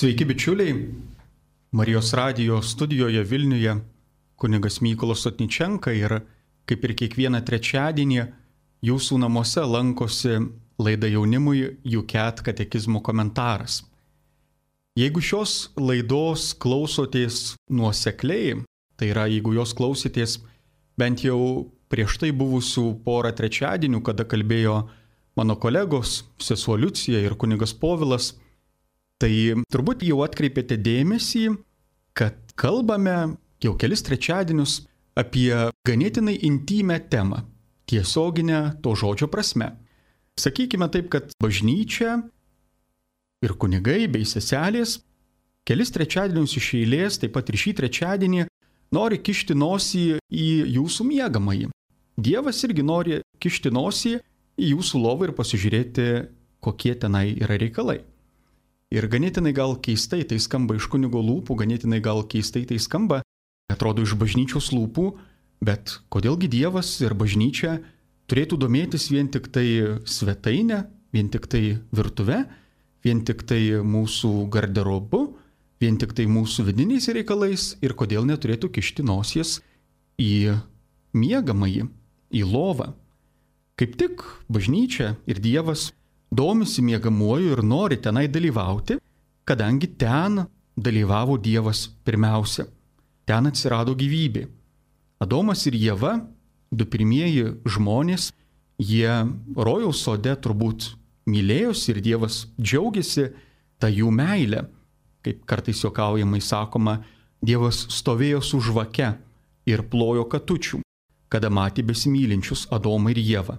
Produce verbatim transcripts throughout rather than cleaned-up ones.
Sveiki bičiuliai, Marijos radijo studijoje Vilniuje kunigas Mykolas Sotničenka ir kaip ir kiekvieną trečiadienį jūsų namuose lankosi laida jaunimui U C A T katekizmo komentaras. Jeigu šios laidos klausotės nuosekliai, tai yra jeigu jos klausėtės bent jau prieš tai buvusių porą trečiadienių, kada kalbėjo mano kolegos, sesuo Liucija ir kunigas Povilas, tai turbūt jau atkreipėte dėmesį, kad kalbame jau kelis trečiadienius apie ganėtinai intymę temą, tiesioginę to žodžio prasme. Sakykime taip, kad bažnyčia ir kunigai bei seselės kelis trečiadienius iš eilės, taip pat ir šį trečiadienį, nori kišti nosį į jūsų miegamąjį. Dievas irgi nori kišti nosį į jūsų lovą ir pasižiūrėti, kokie tenai yra reikalai. Ir ganėtinai gal keistai tai skamba iš kunigo lūpų, ganėtinai gal keistai tai skamba, atrodo iš bažnyčios lūpų, bet kodėlgi Dievas ir bažnyčia turėtų domėtis vien tik tai svetainę, vien tik tai virtuve, vien tik tai mūsų garderobu, vien tik tai mūsų vidiniais reikalais ir kodėl neturėtų kišti nosies į miegamąjį, į lovą. Kaip tik bažnyčia ir Dievas domisi miegamuoju ir nori tenai dalyvauti, kadangi ten dalyvavo Dievas pirmiausia. Ten atsirado gyvybė. Adomas ir Ieva, du pirmieji žmonės, jie rojaus sode turbūt mylėjosi ir Dievas džiaugiasi tą jų meilę. Kaip kartais juokaujamai sakoma, Dievas stovėjo su žvake ir plojo katučių, kada matė besimylinčius Adomą ir Ievą.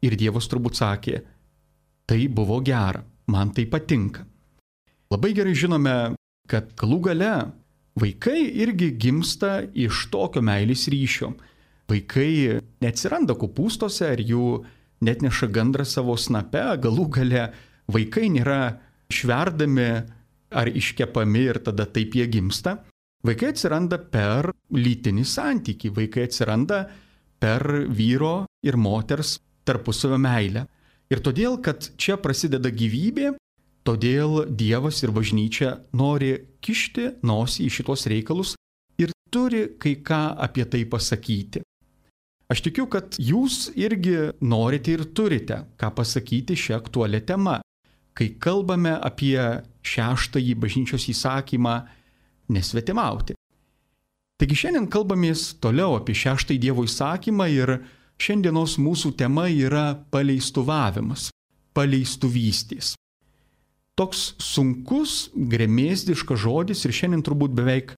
Ir Dievas turbūt sakė, tai buvo gera, man tai patinka. Labai gerai žinome, kad galų gale vaikai irgi gimsta iš tokio meilės ryšio. Vaikai neatsiranda kopūstuose ar jų netneša gandras savo snape, galų gale vaikai nėra šverdami ar iškepami ir tada taip jie gimsta. Vaikai atsiranda per lytinį santykį, vaikai atsiranda per vyro ir moters tarpusavio meilę. Ir todėl, kad čia prasideda gyvybė, todėl Dievas ir bažnyčia nori kišti nosį į šitos reikalus ir turi kai ką apie tai pasakyti. Aš tikiu, kad jūs irgi norite ir turite ką pasakyti šią aktualią temą, kai kalbame apie šeštąjį bažnyčios įsakymą nesvetimauti. Taigi šiandien kalbamės toliau apie šeštąjį Dievo įsakymą ir šiandienos mūsų tema yra paleistuvavimas, paleistuvystės. Toks sunkus, gremėzdiškas žodis ir šiandien turbūt beveik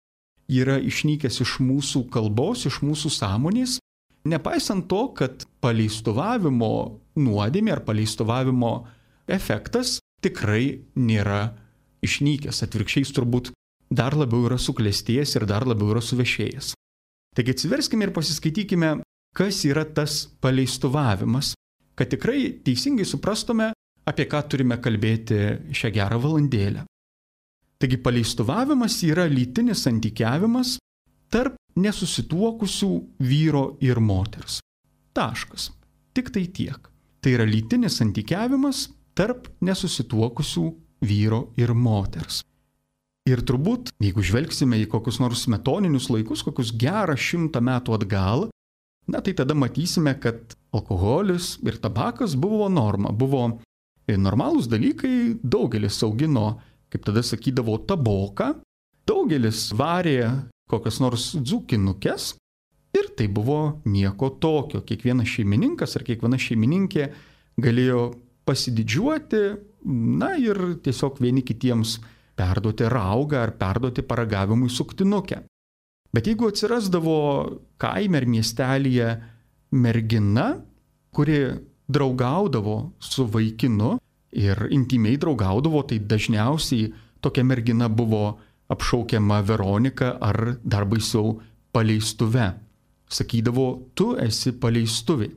yra išnykęs iš mūsų kalbos, iš mūsų sąmonės, nepaisant to, kad paleistuvavimo nuodėmė ar paleistuvavimo efektas tikrai nėra išnykęs, atvirkščiai turbūt dar labiau yra suklestėjęs ir dar labiau yra suvešėjęs. Taigi atsiverskime ir pasiskaitykime, kas yra tas paleistuvavimas, kad tikrai teisingai suprastume, apie ką turime kalbėti šią gerą valandėlę. Taigi paleistuvavimas yra lytinis santykiavimas tarp nesusituokusių vyro ir moters. Taškas. Tik tai tiek. Tai yra lytinis santykiavimas tarp nesusituokusių vyro ir moters. Ir turbūt, jeigu žvelgsime į kokius nors smetoninius laikus, kokius gerą šimtą metų atgal, na tai tada matysime, kad alkoholis ir tabakas buvo norma, buvo normalūs dalykai, daugelis augino, kaip tada sakydavo, taboką, daugelis varė kokias nors dzūkinukes ir tai buvo nieko tokio. Kiekvienas šeimininkas ar kiekviena šeimininkė galėjo pasididžiuoti, na ir tiesiog vieni kitiems perduoti raugą ar perduoti paragavimui suktinukę. Bet jeigu atsirasdavo kaime ar miestelyje mergina, kuri draugaudavo su vaikinu ir intimiai draugaudavo, tai dažniausiai tokia mergina buvo apšaukiama Veronika ar dar baisiau paleistuve. Sakydavo, tu esi paleistuvė.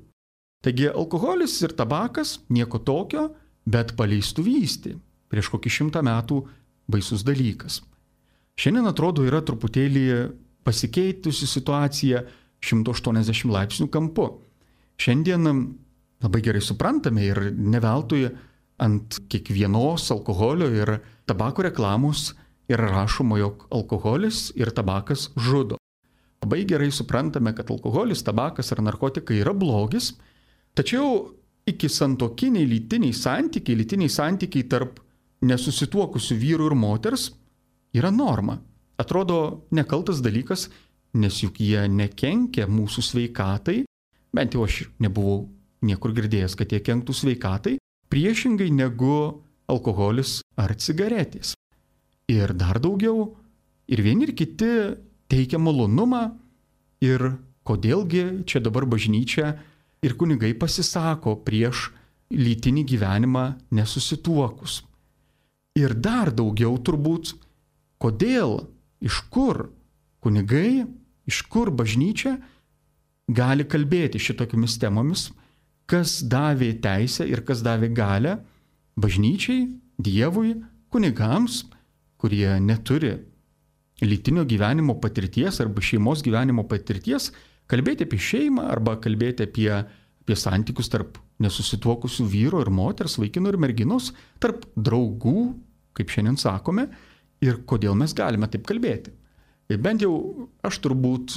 Taigi alkoholis ir tabakas nieko tokio, bet paleistuvystė prieš kokį šimtą metų baisus dalykas. Šiandien atrodo yra truputėlį pasikeitusi situacija šimto aštuoniasdešimt laipsnių kampu. Šiandien labai gerai suprantame ir ne veltui ant kiekvienos alkoholio ir tabako reklamos yra rašoma, jog alkoholis ir tabakas žudo. Labai gerai suprantame, kad alkoholis, tabakas ar narkotikai yra blogis, tačiau iki santuokiniai lytiniai santykiai, lytiniai santykiai tarp nesusituokusių vyrų ir moters yra norma. Atrodo nekaltas dalykas, nes juk jie nekenkia mūsų sveikatai, bent jau aš nebuvau niekur girdėjęs, kad jie kenktų sveikatai, priešingai negu alkoholis ar cigaretės. Ir dar daugiau, ir vieni ir kiti teikia malonumą, ir kodėlgi čia dabar bažnyčia ir kunigai pasisako prieš lytinį gyvenimą nesusituokus. Ir dar daugiau turbūt, kodėl, iš kur kunigai, iš kur bažnyčia gali kalbėti šitokiomis temomis, kas davė teisę ir kas davė galią bažnyčiai, Dievui, kunigams, kurie neturi lytinio gyvenimo patirties arba šeimos gyvenimo patirties, kalbėti apie šeimą arba kalbėti apie, apie santykius tarp nesusituokusių vyro ir moters, vaikino ir merginos, tarp draugų, kaip šiandien sakome, ir kodėl mes galime taip kalbėti. Bent jau aš turbūt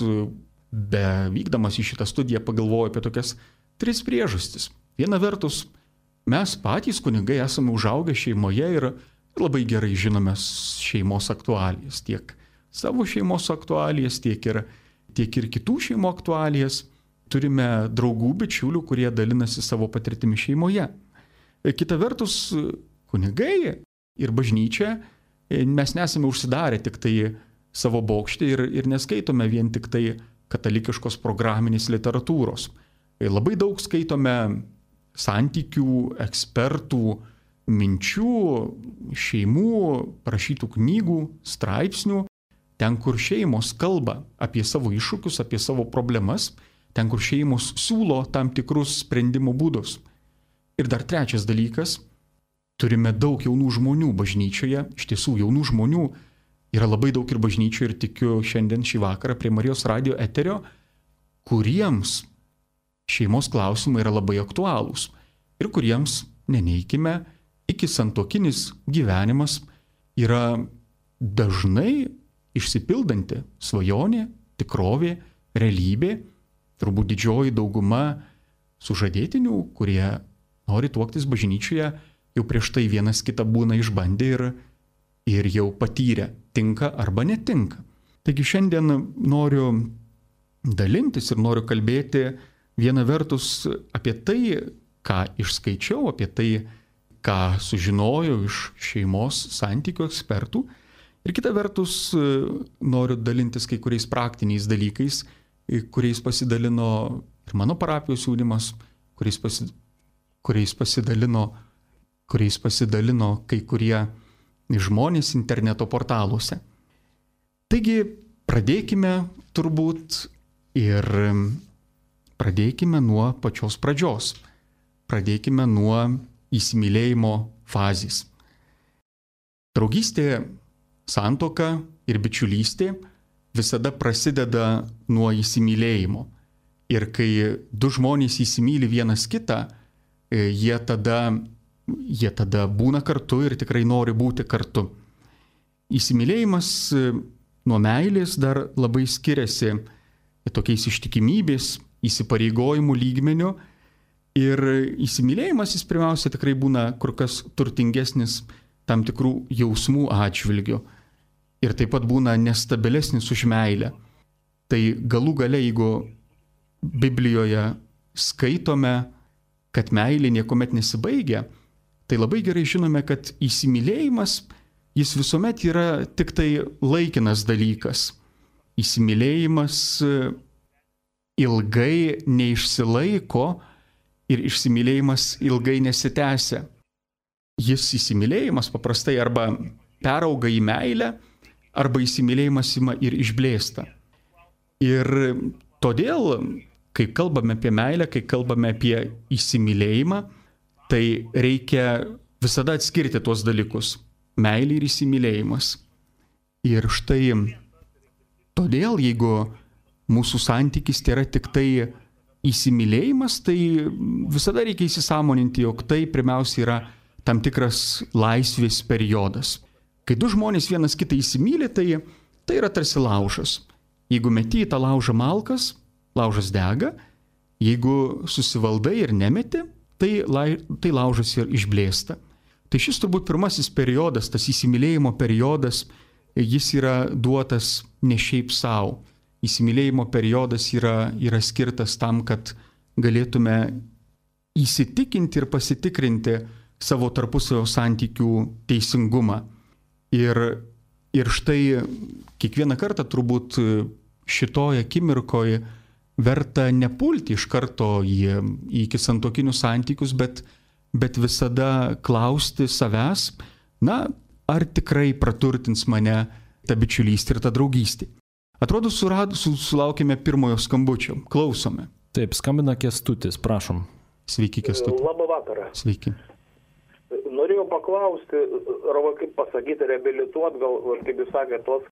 be vykdamas į šitą studiją pagalvoju apie tokias tris priežastis. Viena vertus, mes patys kunigai esame užaugę šeimoje ir labai gerai žinome šeimos aktualijas, tiek savo šeimos aktualijas, tiek ir, tiek ir kitų šeimų aktualijas. Turime draugų, bičiulių, kurie dalinasi savo patirtimi šeimoje. Kita vertus, kunigai ir bažnyčia, mes nesame užsidarę tik tai savo bokštį ir, ir neskaitome vien tik tai katalikiškos programinės literatūros. Labai daug skaitome santykių, ekspertų, minčių, šeimų, parašytų knygų, straipsnių, ten, kur šeimos kalba apie savo iššūkius, apie savo problemas, ten, kur šeimos siūlo tam tikrus sprendimo būdus. Ir dar trečias dalykas, turime daug jaunų žmonių bažnyčioje, iš tiesų jaunų žmonių yra labai daug ir bažnyčioje ir tikiu šiandien šį vakarą prie Marijos radijo eterio, kuriems šeimos klausimai yra labai aktualūs ir kuriems, neneikime, iki santuokinis gyvenimas yra dažnai išsipildanti svajonė, tikrovė, realybė, turbūt didžioji dauguma sužadėtinių, kurie nori tuoktis bažnyčioje, jau prieš tai vienas kitą būna išbandę ir, ir jau patyrę, tinka arba netinka. Taigi šiandien noriu dalintis ir noriu kalbėti viena vertus apie tai, ką išskaičiau, apie tai, ką sužinojau iš šeimos santykių ekspertų. Ir kita vertus noriu dalintis kai kuriais praktiniais dalykais, kuriais pasidalino ir mano parapijos jaunimas, kuriais, pasi, kuriais, pasidalino, kuriais pasidalino kai kurie žmonės interneto portaluose. Taigi pradėkime turbūt ir pradėkime nuo pačios pradžios. Pradėkime nuo įsimylėjimo fazės. Draugystė, santuoka ir bičiulystė visada prasideda nuo įsimylėjimo. Ir kai du žmonės įsimyli vienas kitą, jie tada, jie tada būna kartu ir tikrai nori būti kartu. Įsimylėjimas nuo meilės dar labai skiriasi tokiais ištikimybės, įsipareigojimų lygmeniu. Ir įsimylėjimas jis pirmiausia tikrai būna kur kas turtingesnis tam tikrų jausmų atžvilgių. Ir taip pat būna nestabilesnis už meilę. Tai galų gale, jeigu Biblijoje skaitome, kad meilė niekuomet nesibaigia, tai labai gerai žinome, kad įsimylėjimas jis visuomet yra tik tai laikinas dalykas. Įsimylėjimas ilgai neišsilaiko ir įsimylėjimas ilgai nesitęsia. Jis įsimylėjimas paprastai arba perauga į meilę, arba įsimylėjimas ima ir išblėsta. Ir todėl, kai kalbame apie meilę, kai kalbame apie įsimylėjimą, tai reikia visada atskirti tuos dalykus – meilė ir įsimylėjimas. Ir štai todėl, jeigu mūsų santykis tai yra tik tai įsimylėjimas, tai visada reikia įsisąmoninti, jog tai pirmiausia yra tam tikras laisvės periodas. Kai du žmonės vienas kitą įsimylė, tai, tai yra tarsi laužas. Jeigu meti į tą laužą malkas, laužas dega, jeigu susivaldai ir nemeti, tai, lai, tai laužas ir išblėsta. Tai šis turbūt pirmasis periodas, tas įsimylėjimo periodas, jis yra duotas ne šiaip savo. Įsimylėjimo periodas yra, yra skirtas tam, kad galėtume įsitikinti ir pasitikrinti savo tarpusavio santykių teisingumą. Ir, ir štai kiekvieną kartą turbūt šitoje akimirkoje verta nepulti iš karto į, į santuokinius santykius, bet, bet visada klausti savęs, na, ar tikrai praturtins mane ta bičiulystė ir ta draugystė. Atrodo, surad, sulaukėme pirmojo skambučio. Klausome. Taip, skambina Kęstutis, prašom. Sveiki, Kęstutis. Labą vakarą. Sveiki. Norėjau paklausti, arba kaip pasakyti, reabilituot, gal, kaip jūs sakėte, tos,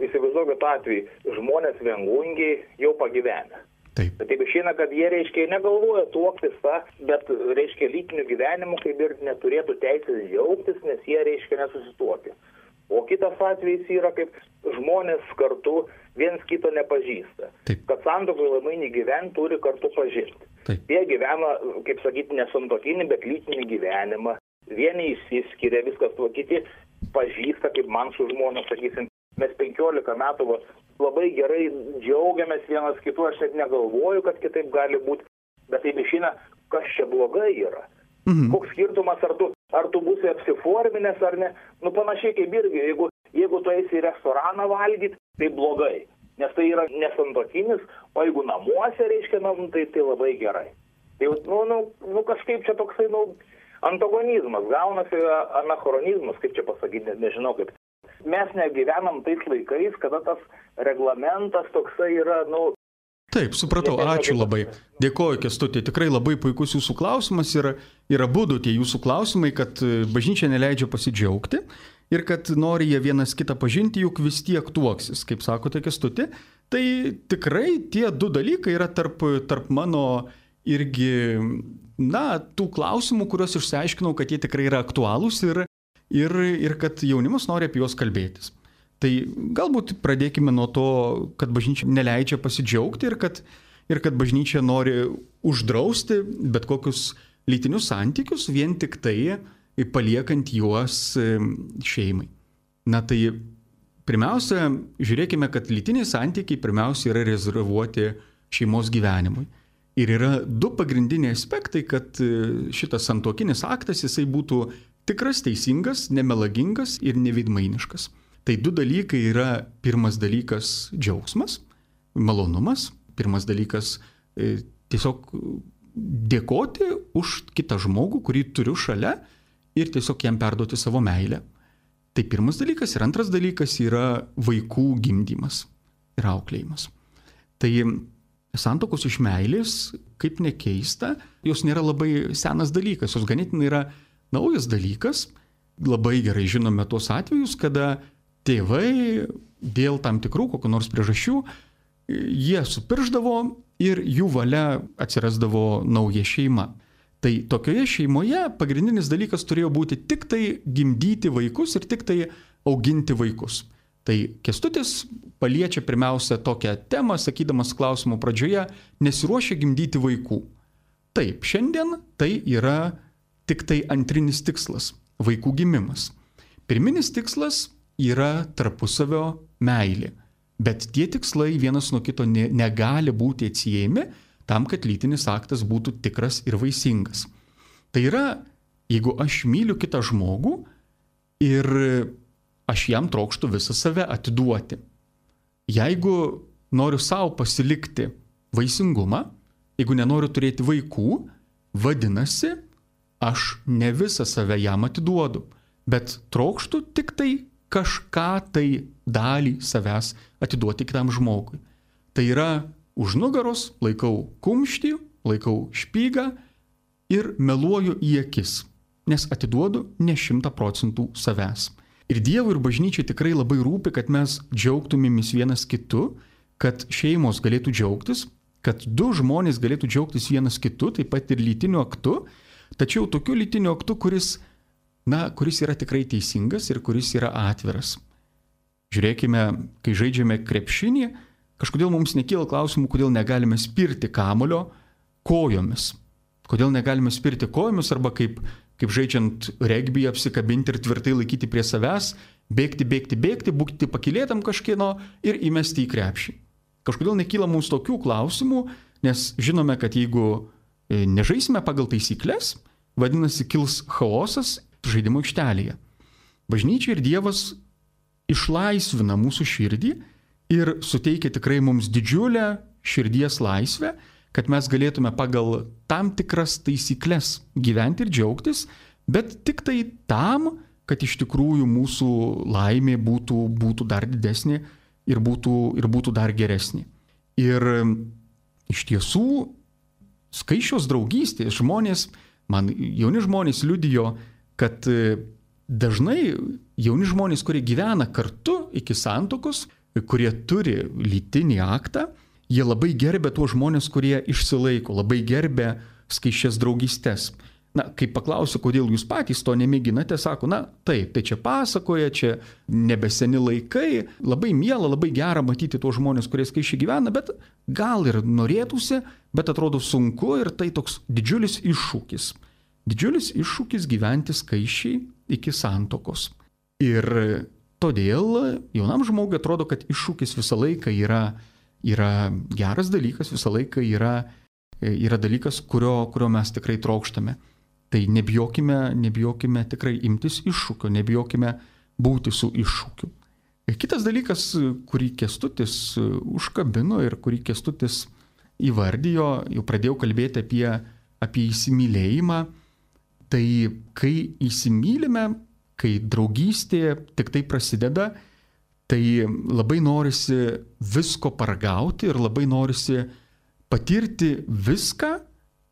įsivaizduokit atvejį, žmonės viengungiai jau pagyvenę. Taip. Taip išeina, kad jie, reiškia, negalvoja tuoktis tą, bet, reiškia, lytiniu gyvenimu kaip ir neturėtų teisės džiaugtis, nes jie, reiškia, nesusituokia. O kitas atvejis yra, kaip žmonės kartu viens kito nepažįsta. Taip. Kad santuokoje laimingai gyventi turi kartu pažinti. Taip. Jie gyvena, kaip sakyti, nesantuokinį, bet lytinį gyvenimą. Vieni išsiskiria, viskas tuo, kiti pažįsta, kaip man su žmona, sakysim, mes penkiolika metų va, labai gerai džiaugiamės vienas kitu, aš net negalvoju, kad kitaip gali būti, bet taip išeina, kas čia blogai yra. Mhm. Koks skirtumas, ar tu, ar tu būsi apsiforminęs ar ne, nu panašiai kaip irgi, jeigu, jeigu tu eisi į restoraną valgyti, tai blogai, nes tai yra nesantuokinis, o jeigu namuose, reiškia, nu, tai, tai labai gerai. Tai, nu, nu, nu, kažkaip čia toksai, nu, antagonizmas, gaunasi anachronizmas, kaip čia pasakyti, net nežinau kaip. Mes negyvenam tais laikais, kada tas reglamentas toksai yra, nu... Taip, supratau, ačiū labai. Dėkoju, Kęstuti, tikrai labai puikus jūsų klausimas ir, ir abudu tie jūsų klausimai, kad bažnyčia neleidžia pasidžiaugti ir kad nori jie vienas kitą pažinti, juk vis tiek tuoksis, kaip sakote, Kęstuti. Tai tikrai tie du dalykai yra tarp, tarp mano irgi, na, tų klausimų, kuriuos išsiaiškinau, kad jie tikrai yra aktualūs ir, ir, ir kad jaunimas nori apie juos kalbėtis. Tai galbūt pradėkime nuo to, kad bažnyčia neleidžia pasidžiaugti ir kad, ir kad bažnyčia nori uždrausti bet kokius lytinius santykius, vien tik tai paliekant juos šeimai. Na tai pirmiausia, žiūrėkime, kad lytiniai santykiai pirmiausia yra rezervuoti šeimos gyvenimui. Ir yra du pagrindiniai aspektai, kad šitas santuokinis aktas jisai būtų tikras, teisingas, nemelagingas ir neveidmainiškas. Tai du dalykai yra, pirmas dalykas džiaugsmas, malonumas, pirmas dalykas e, tiesiog dėkoti už kitą žmogų, kurį turiu šalia ir tiesiog jam perduoti savo meilę. Tai pirmas dalykas ir antras dalykas yra vaikų gimdymas ir auklėjimas. Tai santuokos iš meilės, kaip nekeista, jos nėra labai senas dalykas, jos ganėtinai yra naujas dalykas. Labai gerai žinome tuos atvejus, kada tėvai dėl tam tikrų kokių nors priežasčių, jie supirždavo ir jų valia atsirasdavo nauja šeima. Tai tokioje šeimoje pagrindinis dalykas turėjo būti tik tai gimdyti vaikus ir tik tai auginti vaikus. Tai Kęstutis paliečia pirmiausia tokią temą, sakydamas klausimo pradžioje, nesiruošia gimdyti vaikų. Taip, šiandien tai yra tik tai antrinis tikslas – vaikų gimimas. Pirminis tikslas yra tarpusavio meilė, bet tie tikslai vienas nuo kito ne, negali būti atsiejami tam, kad lytinis aktas būtų tikras ir vaisingas. Tai yra, jeigu aš myliu kitą žmogų ir aš jam trokštu visą save atiduoti. Jeigu noriu savo pasilikti vaisingumą, jeigu nenoriu turėti vaikų, vadinasi, aš ne visą save jam atiduodu, bet trokštu tik tai kažką tai dalį savęs atiduoti kitam žmogui. Tai yra už nugaros laikau kumštį, laikau špygą ir meluoju į akis, nes atiduodu ne šimtą procentų savęs. Ir Dievui ir bažnyčiai tikrai labai rūpi, kad mes džiaugtumėmis vienas kitu, kad šeimos galėtų džiaugtis, kad du žmonės galėtų džiaugtis vienas kitu, taip pat ir lytiniu aktu, tačiau tokiu lytiniu aktu, kuris na, kuris yra tikrai teisingas ir kuris yra atviras. Žiūrėkime, kai žaidžiame krepšinį, kažkodėl mums nekyla klausimų, kodėl negalime spirti kamulio kojomis. Kodėl negalime spirti kojomis arba kaip, kaip žaidžiant regbį apsikabinti ir tvirtai laikyti prie savęs, bėgti, bėgti, bėgti, būti pakilėtam kažkieno ir įmesti į krepšį. Kažkodėl nekyla mums tokių klausimų, nes žinome, kad jeigu nežaisime pagal taisyklės, vadinasi, kils chaosas žaidimo aikštelėje. Bažnyčia ir Dievas išlaisvina mūsų širdį ir suteikia tikrai mums didžiulę širdies laisvę, kad mes galėtume pagal tam tikras taisyklės gyventi ir džiaugtis, bet tik tai tam, kad iš tikrųjų mūsų laimė būtų, būtų dar didesnė ir būtų, ir būtų dar geresnė. Ir iš tiesų, skaičios draugystės žmonės, man jauni žmonės liudijo, kad dažnai jauni žmonės, kurie gyvena kartu iki santuokos, kurie turi lytinį aktą, jie labai gerbė tuos žmonės, kurie išsilaiko, labai gerbė skaičias draugystės. Na, kai paklausiu, kodėl jūs patys to nemėginate, sako, na, taip, tai čia pasakoja, čia nebeseni laikai, labai miela, labai gera matyti tuos žmonės, kurie skaičiai gyvena, bet gal ir norėtųsi, bet atrodo sunku ir tai toks didžiulis iššūkis. Didžiulis iššūkis gyventi skaičiai iki santuokos. Ir todėl jaunam žmogui atrodo, kad iššūkis visą laiką yra, yra geras dalykas, visą laiką yra, yra dalykas, kurio, kurio mes tikrai trokštame. Tai nebijokime, nebijokime tikrai imtis iššūkio, nebijokime būti su iššūkiu. Kitas dalykas, kurį Kęstutis užkabino ir kurį Kęstutis įvardijo, jau pradėjau kalbėti apie, apie įsimylėjimą. Tai kai įsimylime, kai draugystė tik tai prasideda, tai labai norisi visko paragauti ir labai norisi patirti viską,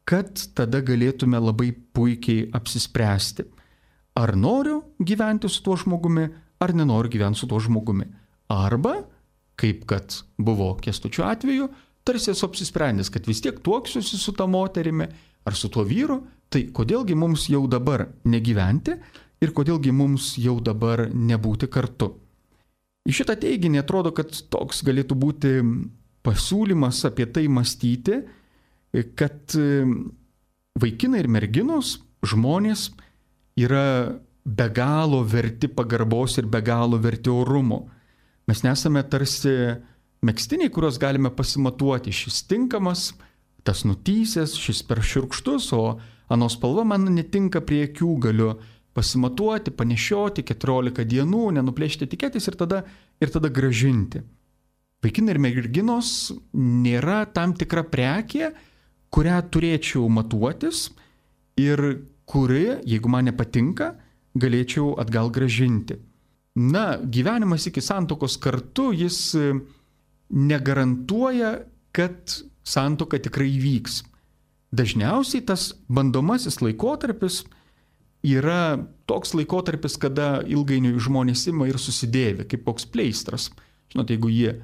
kad tada galėtume labai puikiai apsispręsti. Ar noriu gyventi su tuo žmogumi, ar nenoriu gyventi su tuo žmogumi. Arba, kaip kad buvo Kęstučio atveju, tarsi esu apsisprendęs, kad vis tiek tuoksiuosi su ta moterimi ar su tuo vyru, tai kodėlgi mums jau dabar negyventi ir kodėlgi mums jau dabar nebūti kartu. Į šitą teiginį atrodo, kad toks galėtų būti pasiūlymas apie tai mąstyti, kad vaikinai ir merginos, žmonės yra be galo verti pagarbos ir be galo verti orumo. Mes nesame tarsi megztiniai, kuriuos galime pasimatuoti. Šis tinkamas, tas nutysęs, šis per šiurkštus, o anos spalva man netinka prie akių, galiu pasimatuoti, panešioti keturiolika dienų, nenuplėšti etiketės ir tada, ir tada gražinti. Vaikinai ir merginos nėra tam tikra prekė, kurią turėčiau matuotis ir kuri, jeigu man nepatinka, galėčiau atgal gražinti. Na, gyvenimas iki santuokos kartu, jis negarantuoja, kad santuoka tikrai įvyks. Dažniausiai tas bandomasis laikotarpis yra toks laikotarpis, kada ilgainiui žmonės ima ir susidėvi, kaip koks pleistras. Žinote, jeigu jie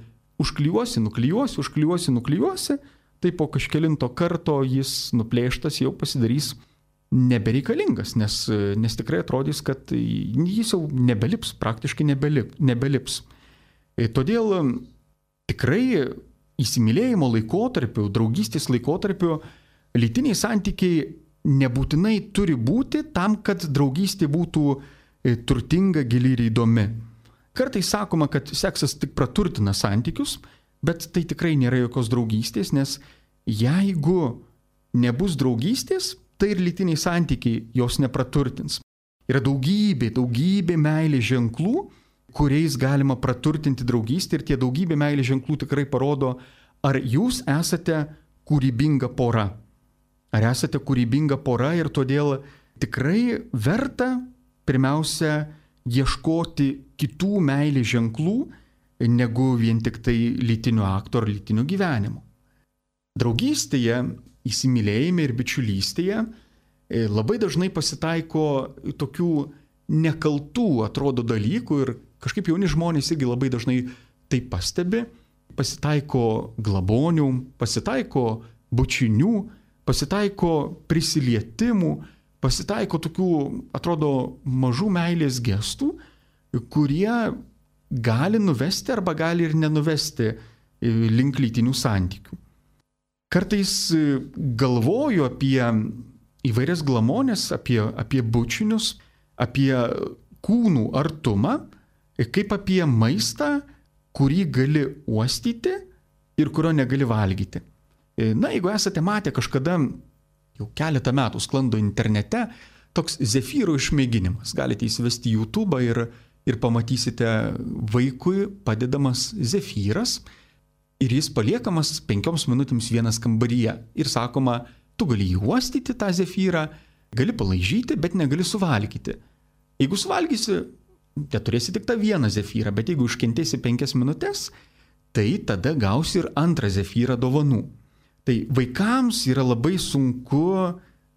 užklijuosi, nuklijuosi, užklijuosi, nuklijuosi, tai po kažkelinto karto jis nuplėštas jau pasidarys nebereikalingas, nes, nes tikrai atrodys, kad jis jau nebelips, praktiškai nebelip, nebelips. Todėl tikrai įsimylėjimo laikotarpiu, draugystės laikotarpiu lytiniai santykiai nebūtinai turi būti tam, kad draugystė būtų turtinga, gili ir įdomi. Kartais sakoma, kad seksas tik praturtina santykius, bet tai tikrai nėra jokios draugystės, nes jeigu nebus draugystės, tai ir lytiniai santykiai jos nepraturtins. Yra daugybė, daugybė meilės ženklų, kuriais galima praturtinti draugystę ir tie daugybė meilės ženklų tikrai parodo, ar jūs esate kūrybinga pora. Ar esate kūrybinga pora ir todėl tikrai verta pirmiausia ieškoti kitų meilės ženklų, negu vien tik tai lytinio akto ar lytinio gyvenimo. Draugystėje, įsimylėjime ir bičiulystėje labai dažnai pasitaiko tokių nekaltų, atrodo, dalykų ir kažkaip jauni žmonės irgi labai dažnai tai pastebi. Pasitaiko glabonių, pasitaiko bučinių, pasitaiko prisilietimų, pasitaiko tokių, atrodo, mažų meilės gestų, kurie gali nuvesti arba gali ir nenuvesti link lytinių santykių. Kartais galvoju apie įvairias glamonės, apie, apie bučinius, apie kūnų artumą, kaip apie maistą, kurį gali uostyti ir kurio negali valgyti. Na, jeigu esate matę kažkada, jau keletą metų sklando internete, toks zefyro išmėginimas. Galite įsivesti YouTube ir, ir pamatysite vaikui padedamas zefyras ir jis paliekamas penkioms minutėms vienas kambaryje. Ir sakoma, tu gali jį uostyti tą zefyrą, gali palaižyti, bet negali suvalgyti. Jeigu suvalgysi, tai turėsi tik tą vieną zefyrą, bet jeigu iškentėsi penkias minutės, tai tada gausi ir antrą zefyrą dovanų. Tai vaikams yra labai sunku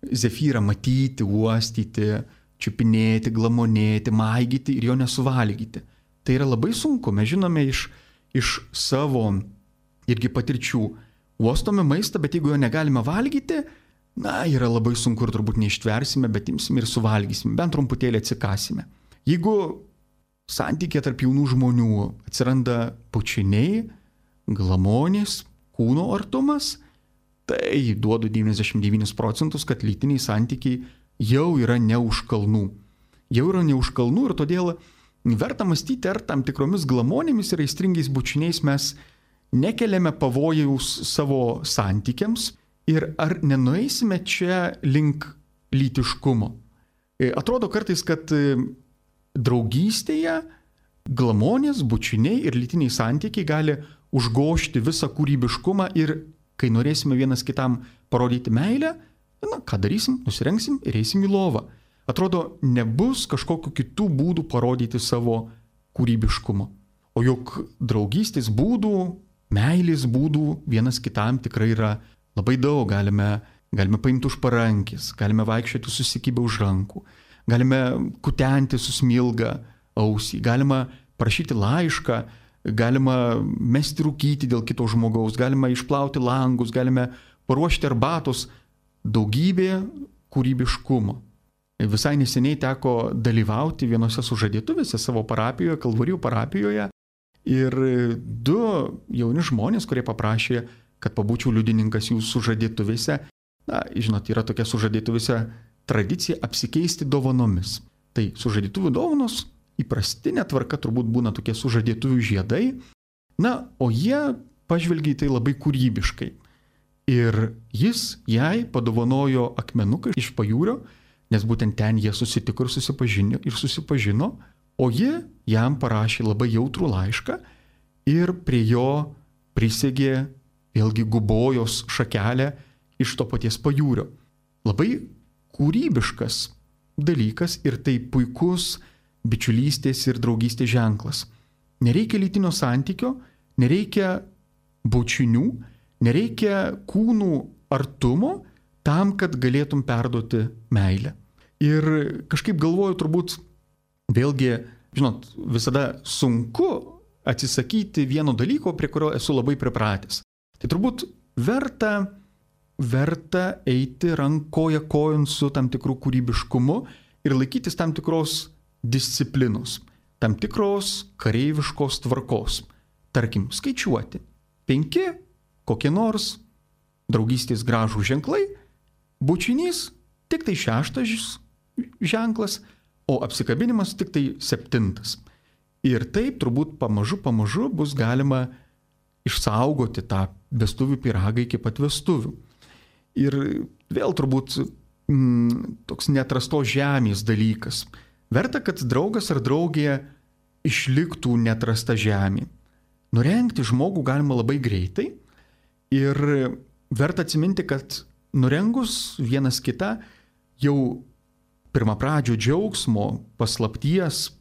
zefyrą matyti, uostyti, čiupinėti, glamonėti, maigyti ir jo nesuvalgyti. Tai yra labai sunku, mes žinome iš, iš savo irgi patirčių. Uostome maistą, bet jeigu jo negalime valgyti, na, yra labai sunku ir turbūt neištversime, bet imsime ir suvalgysime, bent trumputėlį atsikasime. Jeigu santykė tarp jaunų žmonių atsiranda bučiniai, glamonės, kūno artumas, tai duodu devyniasdešimt devynis procentus, kad lytiniai santykiai jau yra ne už kalnų. Jau yra ne už kalnų ir todėl verta mąstyti, ar tam tikromis glamonėmis ir aistringais bučiniais mes nekeliame pavojaus savo santykiams ir ar nenueisime čia link lytiškumo. Atrodo kartais, kad draugystėje glamonės, bučiniai ir lytiniai santykiai gali užgožti visą kūrybiškumą ir kai norėsime vienas kitam parodyti meilę, na, ką darysim, nusirengsim ir eisim į lovą. Atrodo, nebus kažkokių kitų būdų parodyti savo kūrybiškumo. O juk draugystės būdų, meilės būdų vienas kitam tikrai yra labai daug. Galime, galime paimti už parankės, galime vaikščioti susikibę už rankų, galime kutenti susmilgą ausį, galima parašyti laišką, galima mesti rūkyti dėl kito žmogaus, galima išplauti langus, galime paruošti arbatos, daugybė kūrybiškumo. Visai neseniai teko dalyvauti vienose sužadėtuvėse savo parapijoje, Kalvarijų parapijoje, ir du jauni žmonės, kurie paprašė, kad pabūčiau liudininkas jų sužadėtuvėse. Na, žinot, yra tokia sužadėtuvėse tradicija apsikeisti dovanomis. Tai sužadėtuvių dovanos įprastinė tvarka turbūt būna tokie sužadėtuvių žiedai, na, o jie pažvelgia į tai labai kūrybiškai. Ir jis jai padovanojo akmenuką iš pajūrio, nes būtent ten jie susitiko ir susipažino, ir susipažino, o ji jam parašė labai jautrų laišką ir prie jo prisegė vėlgi gubojos šakelę iš to paties pajūrio. Labai kūrybiškas dalykas ir tai puikus bičiulystės ir draugystės ženklas. Nereikia lytinio santykio, nereikia bučinių, nereikia kūnų artumo tam, kad galėtum perduoti meilę. Ir kažkaip galvoju, turbūt vėlgi, žinot, visada sunku atsisakyti vieno dalyko, prie kurio esu labai pripratęs. Tai turbūt verta, verta eiti rankoje kojon su tam tikrų kūrybiškumu ir laikytis tam tikros disciplinos, tam tikros kareiviškos tvarkos. Tarkim, skaičiuoti. Penki kokie nors draugystės gražų ženklai, bučinys tik tai šeštas ženklas, o apsikabinimas tik tai septintas. Ir taip turbūt pamažu, pamažu bus galima išsaugoti tą vestuvių pyragą iki pat vestuvių. Ir vėl turbūt mm, toks neatrastos žemės dalykas. Verta, kad draugas ar draugė išliktų neatrasta žemė. Nurengti žmogų galima labai greitai ir verta atsiminti, kad nurengus vienas kitą jau pirmapradžio džiaugsmo, paslapties,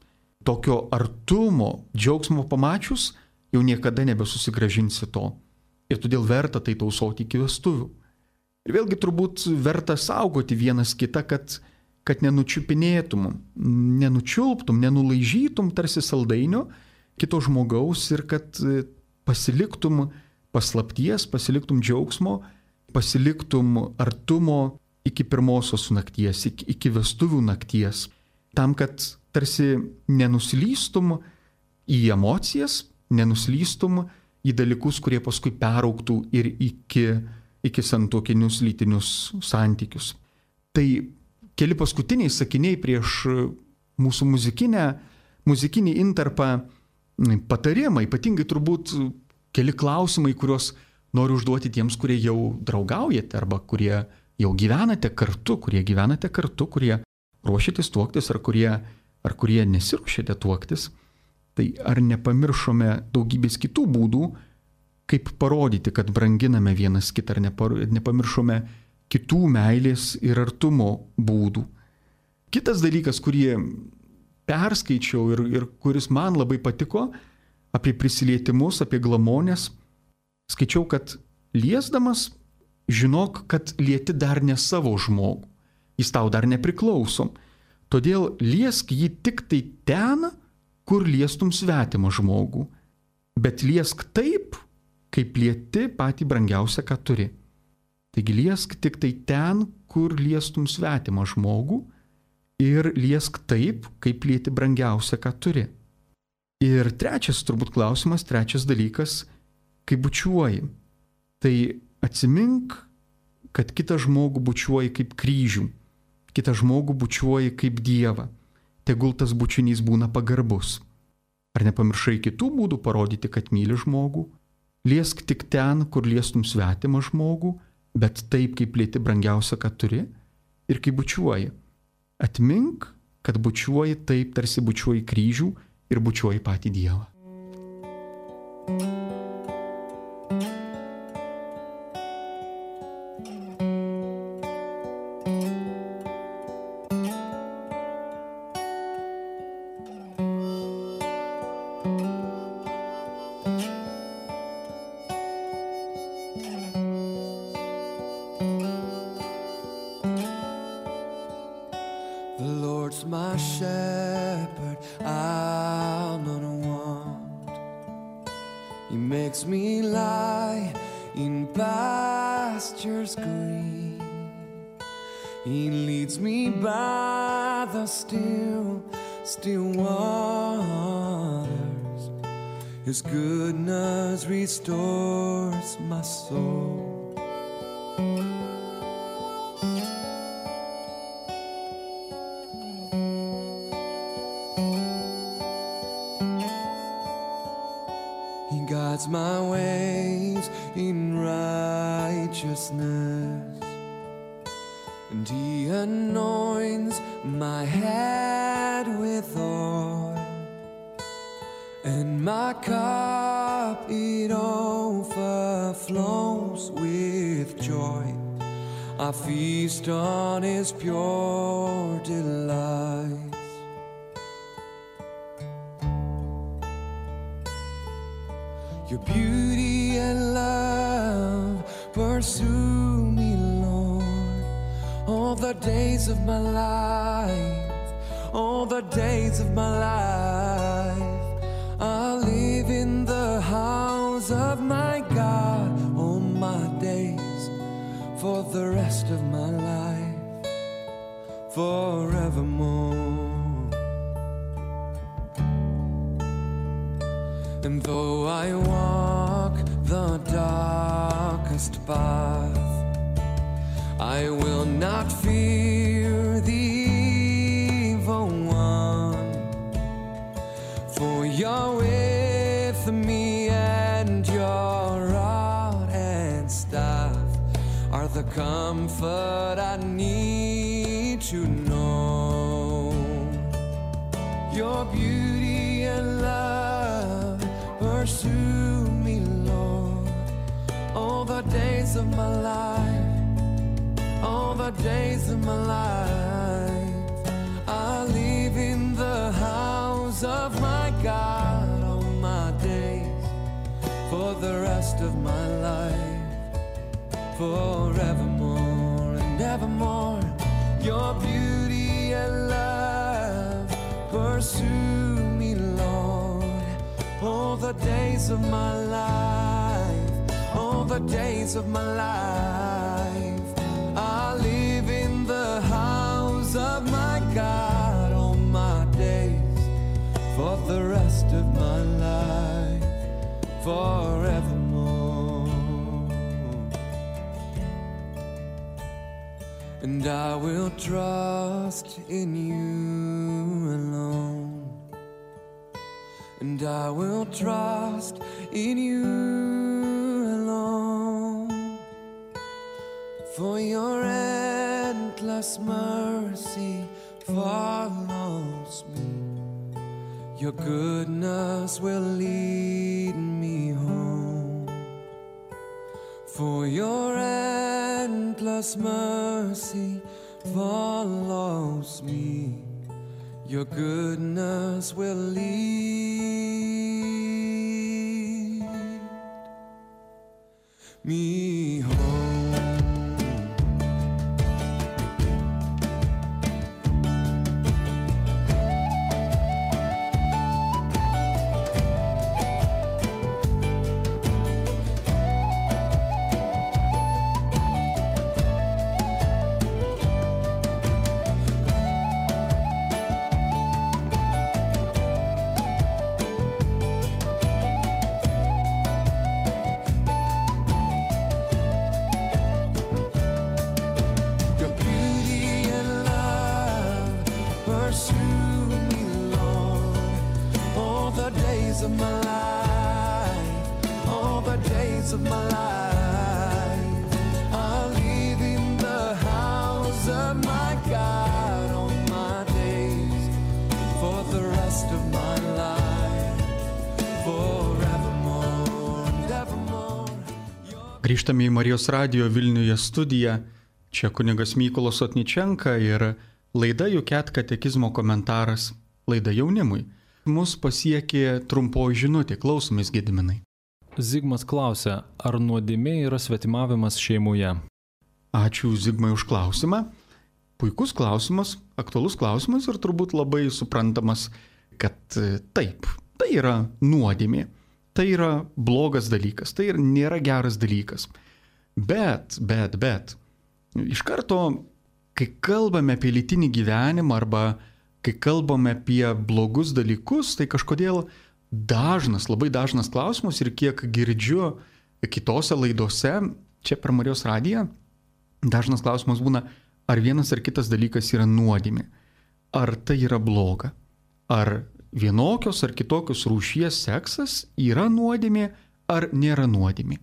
tokio artumo, džiaugsmo pamačius, jau niekada nebesusigrąžinsi to. Ir todėl verta tai tausoti iki vestuvių. Ir vėlgi turbūt verta saugoti vienas kitą, kad kad nenučiupinėtum, nenučiulptum, nenulaižytum tarsi saldainio kito žmogaus ir kad pasiliktum paslapties, pasiliktum džiaugsmo, pasiliktum artumo iki pirmosios nakties, iki, iki vestuvių nakties, tam, kad tarsi nenuslystum į emocijas, nenuslystum į dalykus, kurie paskui peraugtų ir iki, iki santuokinius lytinius santykius. Tai keli paskutiniai sakiniai prieš mūsų muzikinę, muzikinį intarpą patarimą, ypatingai turbūt keli klausimai, kuriuos noriu užduoti tiems, kurie jau draugaujate arba kurie jau gyvenate kartu, kurie gyvenate kartu, kurie ruošiatės tuoktis ar kurie, ar kurie nesiruošiate tuoktis. Tai ar nepamiršome daugybės kitų būdų, kaip parodyti, kad branginame vienas kitą, ar nepar, nepamiršome kitų meilės ir artumo būdų. Kitas dalykas, kurį perskaičiau ir, ir kuris man labai patiko, apie prisilietimus, apie glamonės, skaičiau, kad liesdamas, žinok, kad lieti dar ne savo žmogų, jis tau dar nepriklauso. Todėl liesk jį tik tai ten, kur liestum svetimą žmogų, bet liesk taip, kaip lieti patį brangiausią, ką turi. Taigi liesk tik tai ten, kur liestum svetimą žmogų ir liesk taip, kaip lieti brangiausią, ką turi. Ir trečias turbūt klausimas, trečias dalykas, kai bučiuoji, tai atsimink, kad kitą žmogų bučiuoji kaip kryžių, kitą žmogų bučiuoji kaip Dievą, tegul tas bučinys būna pagarbus. Ar nepamiršai kitų būdų parodyti, kad myli žmogų? Liesk tik ten, kur liestum svetimą žmogų, bet taip, kaip lieti brangiausia, ką turi, ir kai bučiuoji. Atmink, kad bučiuoji taip, tarsi bučiuoji kryžių ir bučiuoji patį Dievą. The Lord's my shepherd, I'll not want. He makes me lie in pastures green. He leads me by the still, still waters. His goodness restores my soul. Guides my ways in righteousness, and He anoints my head with oil, and my cup it overflows with joy. I feast on His pure delights. Your beauty and love pursue me, Lord, all the days of my life, all the days of my life. I'll live in the house of my God all my days, for the rest of my life, forevermore. And though I walk the darkest path, I will not fear the evil one, for you're with me, and your rod and staff are the comfort I need to know. Your beauty and love pursue me, Lord, all the days of my life, all the days of my life. I'll live in the house of my God all my days, for the rest of my life, forevermore and evermore. Your beauty and love pursue me, Lord, all the days of my life, all the days of my life. I live in God all my days, for the rest of my life, forevermore. And I will trust in you alone, and I will trust in you alone, for your endless mercy follows me, your goodness will lead me home, for your endless mercy follows me, your goodness will lead me home. Of my life, all the days of my life, I'll live in the house of my God all my days, for the rest of my life, forevermore and evermore. Grįžtame į Marijos radijo Vilniuje studiją, čia kunigas Mykolas Sotničenka ir laida Juket katekizmo komentaras, laida jaunimui. Mus pasiekė trumpoji žinutė, klausomės Gediminai. Zigmas klausia, ar nuodėmė yra svetimavimas šeimoje? Ačiū Zigmai už klausimą. Puikus klausimas, aktualus klausimas ir turbūt labai suprantamas, kad taip, tai yra nuodėmė, tai yra blogas dalykas, tai nėra geras dalykas. Bet, bet, bet, iš karto, kai kalbame apie lytinį gyvenimą arba kai kalbame apie blogus dalykus, tai kažkodėl dažnas, labai dažnas klausimas ir kiek girdžiu kitose laidose, čia per Marijos radiją, dažnas klausimas būna, ar vienas ar kitas dalykas yra nuodėmė, ar tai yra bloga, ar vienokios ar kitokios rūšies seksas yra nuodėmė, ar nėra nuodėmė.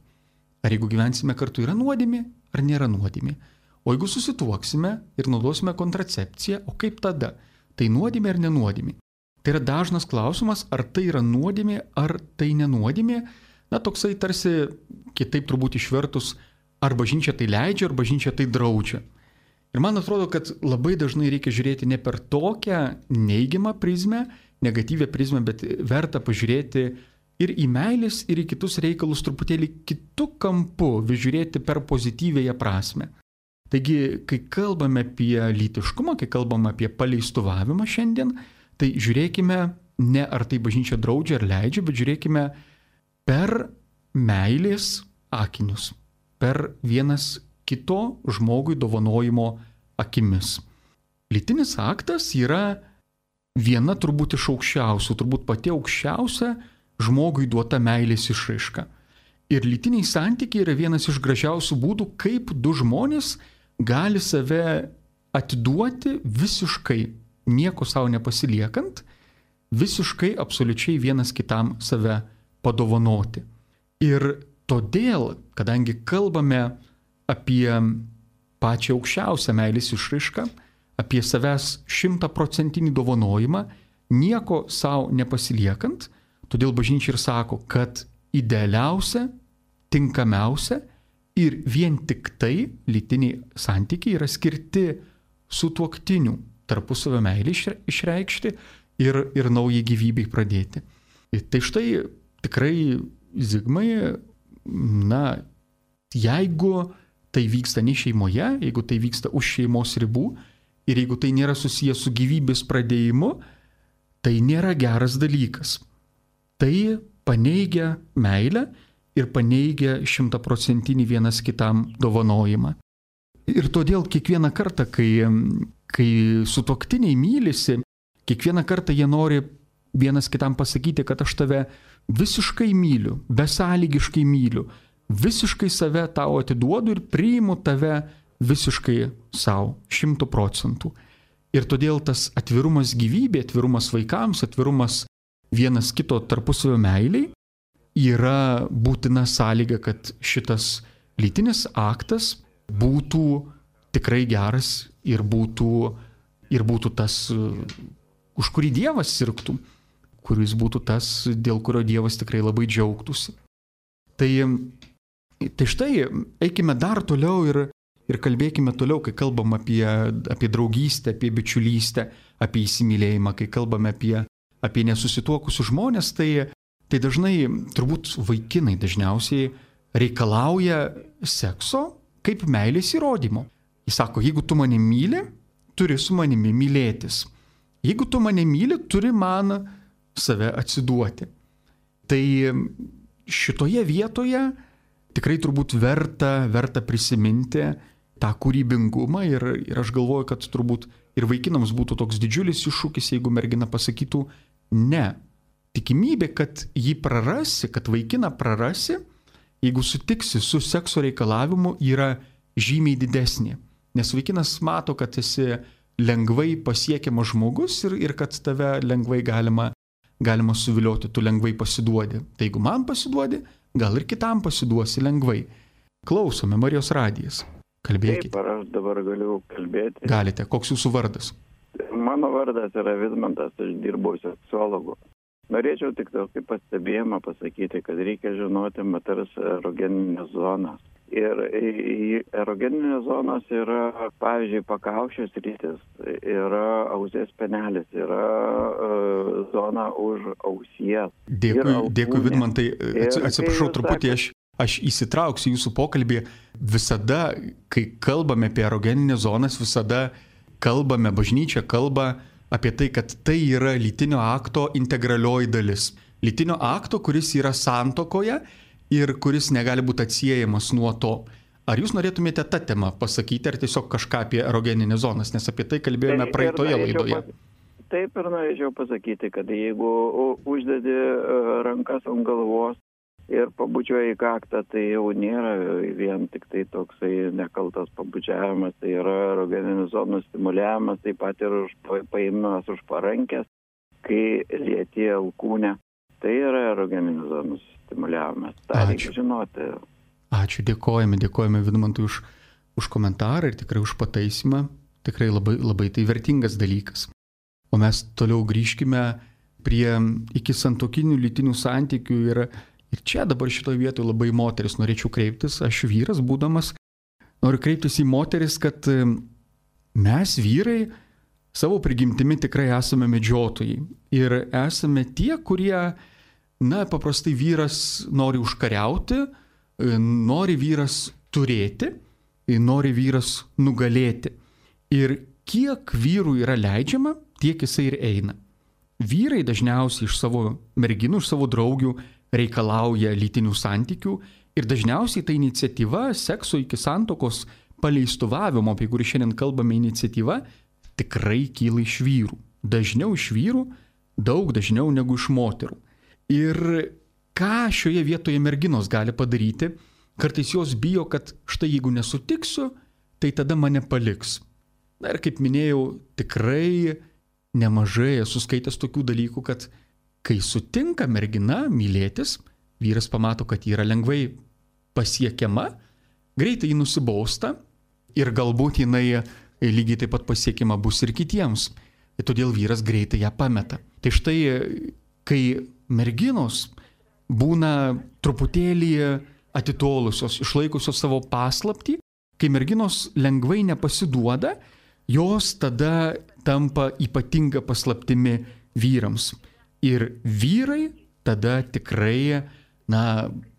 Ar jeigu gyvensime kartu yra nuodėmė, ar nėra nuodėmė. O jeigu susituoksime ir naudosime kontracepciją, o kaip tada? Tai nuodėmė ar nenuodėmė? Tai yra dažnas klausimas, ar tai yra nuodėmė, ar tai nenuodėmė. Na, toksai tarsi, kitaip turbūt išvertus, ar bažnyčia tai leidžia, ar bažnyčia tai draudžia. Ir man atrodo, kad labai dažnai reikia žiūrėti ne per tokią neigiamą prizmę, negatyvę prizmę, bet verta pažiūrėti ir į meilės, ir į kitus reikalus truputėlį kitų kampų, vis žiūrėti per pozityvėją prasme. Taigi, kai kalbame apie lytiškumą, kai kalbame apie paleistuvavimą šiandien, tai žiūrėkime ne ar tai bažnyčia draudžia ar leidžia, bet žiūrėkime per meilės akinius, per vienas kito žmogui dovanojimo akimis. Lytinis aktas yra viena turbūt iš aukščiausių, turbūt pati aukščiausia žmogui duota meilės išraiška. Ir lytiniai santykiai yra vienas iš gražiausių būdų, kaip du žmonės gali save atiduoti visiškai, nieko savo nepasiliekant, visiškai absoliučiai vienas kitam save padovanoti. Ir todėl, kadangi kalbame apie pačią aukščiausią meilės išraišką, apie savęs šimtaprocentinį dovanojimą, nieko savo nepasiliekant, todėl bažnyčia ir sako, kad idealiausia, tinkamiausia ir vien tik tai lytiniai santykiai yra skirti sutuoktinių tarpusavio meilę išreikšti ir, ir naujai gyvybei pradėti. Tai štai tikrai Zigmai, na, jeigu tai vyksta ne šeimoje, jeigu tai vyksta už šeimos ribų ir jeigu tai nėra susijęs su gyvybės pradėjimu, tai nėra geras dalykas. Tai paneigia meilę ir paneigia šimtaprocentinį vienas kitam dovanojimą. Ir todėl kiekvieną kartą, kai kai sutuoktiniai mylisi, kiekvieną kartą jie nori vienas kitam pasakyti, kad aš tave visiškai myliu, besąlygiškai myliu, visiškai save tau atiduodu ir priimu tave visiškai savo, šimtų procentų. Ir todėl tas atvirumas gyvybė, atvirumas vaikams, atvirumas vienas kito tarpusavio meiliai yra būtina sąlyga, kad šitas lytinis aktas būtų tikrai geras ir būtų, ir būtų tas, už kurį Dievas sirgtų, kuris būtų tas, dėl kurio Dievas tikrai labai džiaugtųsi. Tai, tai štai, eikime dar toliau ir Ir kalbėkime toliau, kai kalbam apie, apie draugystę, apie bičiulystę, apie įsimylėjimą, kai kalbame apie, apie nesusituokusius žmonės, tai, tai dažnai, turbūt vaikinai dažniausiai reikalauja sekso kaip meilės įrodymo. Jis sako, jeigu tu mane myli, turi su manimi mylėtis. Jeigu tu mane myli, turi man save atsiduoti. Tai šitoje vietoje tikrai turbūt verta, verta prisiminti tą kūrybingumą ir, ir aš galvoju, kad turbūt ir vaikinams būtų toks didžiulis iššūkis, jeigu mergina pasakytų ne. Tikimybė, kad jį prarasi, kad vaikiną prarasi, jeigu sutiksi su sekso reikalavimu, yra žymiai didesnė. Nes vaikinas mato, kad esi lengvai pasiekiamas žmogus ir, ir kad tave lengvai galima, galima suvilioti, tu lengvai pasiduodi. Tai jeigu man pasiduodi, gal ir kitam pasiduosi lengvai. Klausome, Marijos radijas. Kalbėkite. Taip, ar aš dabar galiu kalbėti? Galite. Koks jūsų vardas? Mano vardas yra Vidmantas, aš dirbau seksuologu. Norėčiau tik tokį pastebėjimą pasakyti, kad reikia žinoti moters erogeninės zonas. Ir erogeninės zonos yra, pavyzdžiui, pakaušės rytis, yra ausės penelis, yra uh, zona už ausies. Dėkui, dėkui Vidmantai. Atsiprašau truputį, aš... Aš įsitrauksiu jūsų pokalbį. Visada, kai kalbame apie erogeninės zonas, visada kalbame, bažnyčia kalba apie tai, kad tai yra lytinio akto integralioji dalis. Lytinio akto, kuris yra santuokoje ir kuris negali būti atsiejamas nuo to. Ar jūs norėtumėte tą temą pasakyti, ar tiesiog kažką apie erogeninės zonas, nes apie tai kalbėjome taip, praeitoje laidoje. Pas... Taip ir norėčiau pasakyti, kad jeigu uždedi rankas ant galvos, ir pabučiuoja į kaktą, tai jau nėra vien tik tai toksai nekaltas pabučiavimas, tai yra erogeninių zonų stimuliavimas, taip pat ir už, paėmimas už parankės, kai lieti alkūnę. Tai yra erogeninių zonų stimuliavimas. Tai reikia žinoti. Ačiū, dėkojame, dėkojame Vidmantui už, už komentarą ir tikrai už pataisymą. Tikrai labai, labai tai vertingas dalykas. O mes toliau grįžkime prie iki santuokinių lytinių santykių ir Ir čia dabar šitoje vietoje labai moteris norėčiau kreiptis, aš vyras būdamas, noriu kreiptis į moteris, kad mes vyrai savo prigimtimi tikrai esame medžiotojai. Ir esame tie, kurie, na, paprastai vyras nori užkariauti, nori vyras turėti, nori vyras nugalėti. Ir kiek vyrų yra leidžiama, tiek jisai ir eina. Vyrai dažniausiai iš savo merginų, iš savo draugių reikalauja lytinių santykių ir dažniausiai ta iniciatyva sekso iki santuokos paleistuvavimo, apie kurį šiandien kalbame iniciatyva, tikrai kyla iš vyrų. Dažniau iš vyrų, daug dažniau negu iš moterų. Ir ką šioje vietoje merginos gali padaryti? Kartais jos bijo, kad štai jeigu nesutiksiu, tai tada mane paliks. Na ir kaip minėjau, tikrai nemažai esu skaitęs tokių dalykų, kad kai sutinka mergina mylėtis, vyras pamato, kad ji yra lengvai pasiekiama, greitai jį nusibausta ir galbūt jinai lygiai taip pat pasiekiama bus ir kitiems. Ir todėl vyras greitai ją pameta. Tai štai, kai merginos būna truputėlį atitolusios, išlaikusios savo paslaptį, kai merginos lengvai nepasiduoda, jos tada tampa ypatinga paslaptimi vyrams. Ir vyrai tada tikrai, na,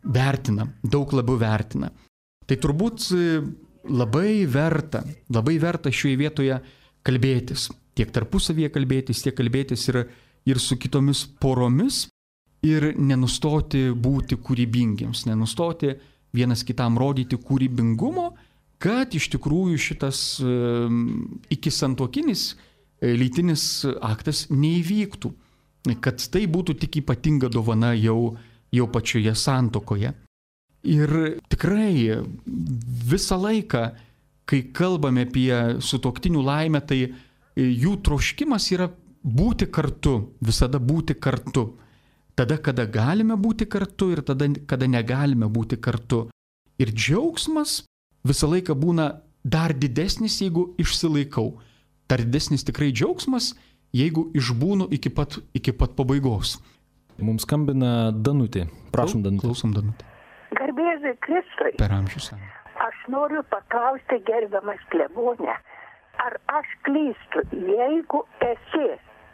vertina, daug labiau vertina. Tai turbūt labai verta, labai verta šioje vietoje kalbėtis. Tiek tarpusavyje kalbėtis, tiek kalbėtis ir, ir su kitomis poromis ir nenustoti būti kūrybingiems, nenustoti vienas kitam rodyti kūrybingumo, kad iš tikrųjų šitas iki santuokinis lytinis aktas neįvyktų, kad tai būtų tik ypatinga dovana jau, jau pačioje santuokoje. Ir tikrai visą laiką, kai kalbame apie sutuoktinių laimę, tai jų troškimas yra būti kartu, visada būti kartu. Tada, kada galime būti kartu ir tada, kada negalime būti kartu. Ir džiaugsmas visą laiką būna dar didesnis, jeigu išsilaikau. Dar didesnis tikrai džiaugsmas, jeigu išbūnu iki pat, iki pat pabaigos. Mums skambina Danutė. Prašom, Danutė. Klausom, Danutė. Garbėzai Kristui. Per amžius. Aš noriu paklausti, gerbiamas klebone, ar aš klystu, jeigu esi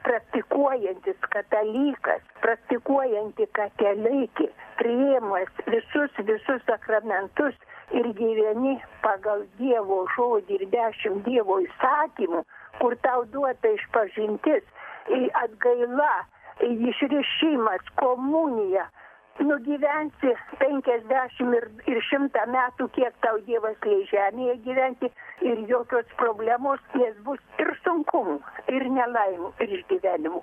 praktikuojantis katalikas, praktikuojanti katalaikė, priėmęs visus, visus sakramentus ir gyveni pagal Dievo žodį ir dešimt Dievo įsakymų, kur tau duota išpažintis, atgaila, išrišimas, komunija, nugyvensi penkiasdešimt ir, ir šimtą metų, kiek tau Dievas leis žemėje gyventi, ir jokios problemos, nes bus ir sunkumų, ir nelaimų, ir išgyvenimų.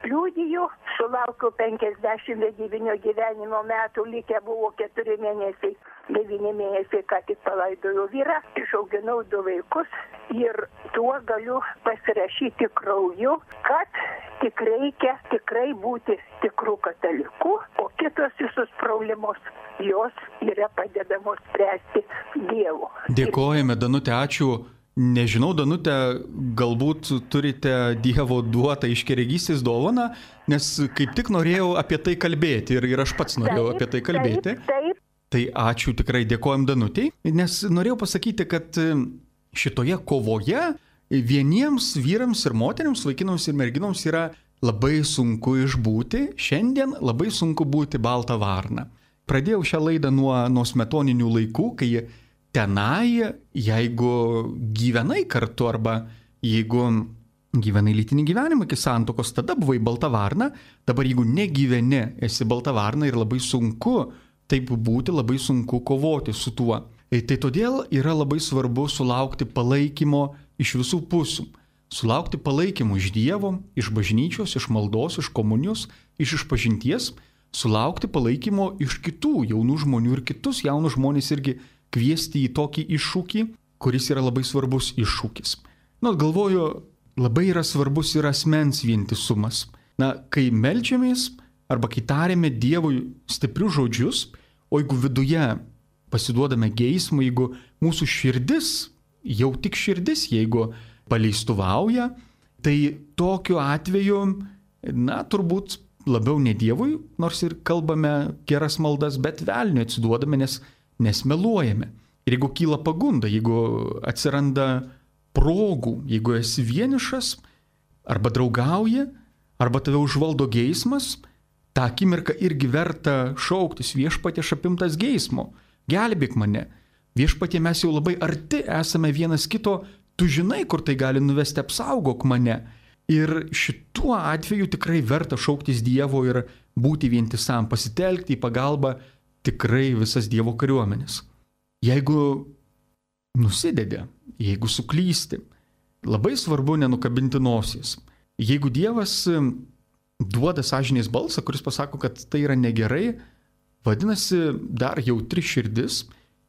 Liudiju, sulaukiau penkiasdešimt devynių gyvenimo metų, likę buvo keturi mėnesiai, devyni mėnesiai, ką tik palaidojau vyrą, išauginau du vaikus ir tuo galiu pasirašyti krauju, kad tik reikia tikrai būti tikrų katalikų, o kitos visos problemos, jos yra padedamos spręsti Dievo. Dėkojame, Danutė, ačiū. Nežinau, Danutė, galbūt turite Dievo duotą iškeregystės dovaną, nes kaip tik norėjau apie tai kalbėti ir, ir aš pats norėjau taip, apie tai kalbėti. Taip, taip. Tai ačiū, tikrai dėkojam Danutei, nes norėjau pasakyti, kad šitoje kovoje vieniems vyrams ir moteriams, vaikinams ir merginoms yra labai sunku išbūti, šiandien labai sunku būti balta varna. Pradėjau šią laidą nuo, nuo smetoninių laikų, kai tenai, jeigu gyvenai kartu arba jeigu gyvenai lytinį gyvenimą iki santuokos, tada buvai balta varna, dabar jeigu negyveni, esi balta varna ir labai sunku taip būti, labai sunku kovoti su tuo. Tai todėl yra labai svarbu sulaukti palaikymo iš visų pusių. Sulaukti palaikymo iš Dievo, iš bažnyčios, iš maldos, iš komunijos, iš išpažinties, sulaukti palaikymo iš kitų jaunų žmonių ir kitus jaunus žmonės irgi kviesti į tokį iššūkį, kuris yra labai svarbus iššūkis. Na, galvoju, labai yra svarbus ir asmens vientisumas. Na, kai meldžiamės arba kai tariame Dievui stiprius žodžius, o jeigu viduje pasiduodame geismą, jeigu mūsų širdis, jau tik širdis, jeigu paleistuvauja, tai tokiu atveju, na, turbūt labiau ne Dievui, nors ir kalbame geras maldas, bet velniui atsiduodame, nes nes meluojame. Ir jeigu kyla pagunda, jeigu atsiranda progų, jeigu esi vienišas, arba draugauji, arba tave užvaldo geismas, tą akimirką irgi verta šauktis: Viešpatie, aš apimtas geismo, gelbėk mane. Viešpatie, mes jau labai arti esame vienas kito, tu žinai, kur tai gali nuvesti, apsaugok mane. Ir šituo atveju tikrai verta šauktis Dievo ir būti vientisam, pasitelkti į pagalbą tikrai visas Dievo kariuomenės. Jeigu nusidedi, jeigu suklysti, labai svarbu nenukabinti nosies. Jeigu Dievas duoda sąžinės balsą, kuris pasako, kad tai yra negerai, vadinasi, dar jautri širdis